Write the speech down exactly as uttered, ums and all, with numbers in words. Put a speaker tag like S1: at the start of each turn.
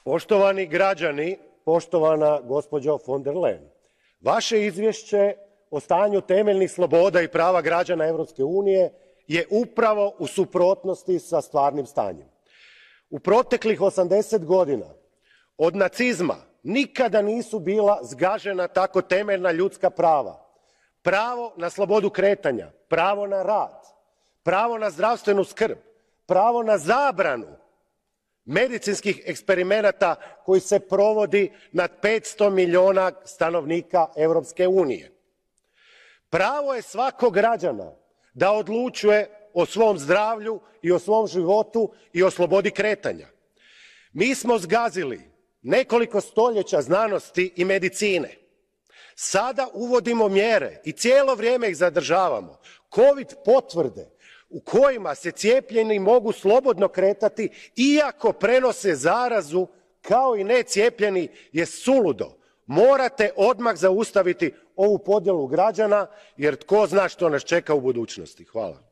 S1: Poštovani građani, poštovana gospođo von der Leyen, vaše izvješće o stanju temeljnih sloboda i prava građana Europske unije je upravo u suprotnosti sa stvarnim stanjem. U proteklih osamdeset godina od nacizma nikada nisu bila zgažena tako temeljna ljudska prava. Pravo na slobodu kretanja, pravo na rad, pravo na zdravstvenu skrb, pravo na zabranu medicinskih eksperimenata koji se provodi nad petsto milijuna stanovnika Europske unije. Pravo je svakog građana da odlučuje o svom zdravlju i o svom životu i o slobodi kretanja. Mi smo zgazili nekoliko stoljeća znanosti i medicine. Sada uvodimo mjere i cijelo vrijeme ih zadržavamo. Covid potvrde u kojima se cijepljeni mogu slobodno kretati iako prenose zarazu kao i necijepljeni je suludo. Morate odmah zaustaviti ovu podjelu građana jer tko zna što nas čeka u budućnosti. Hvala.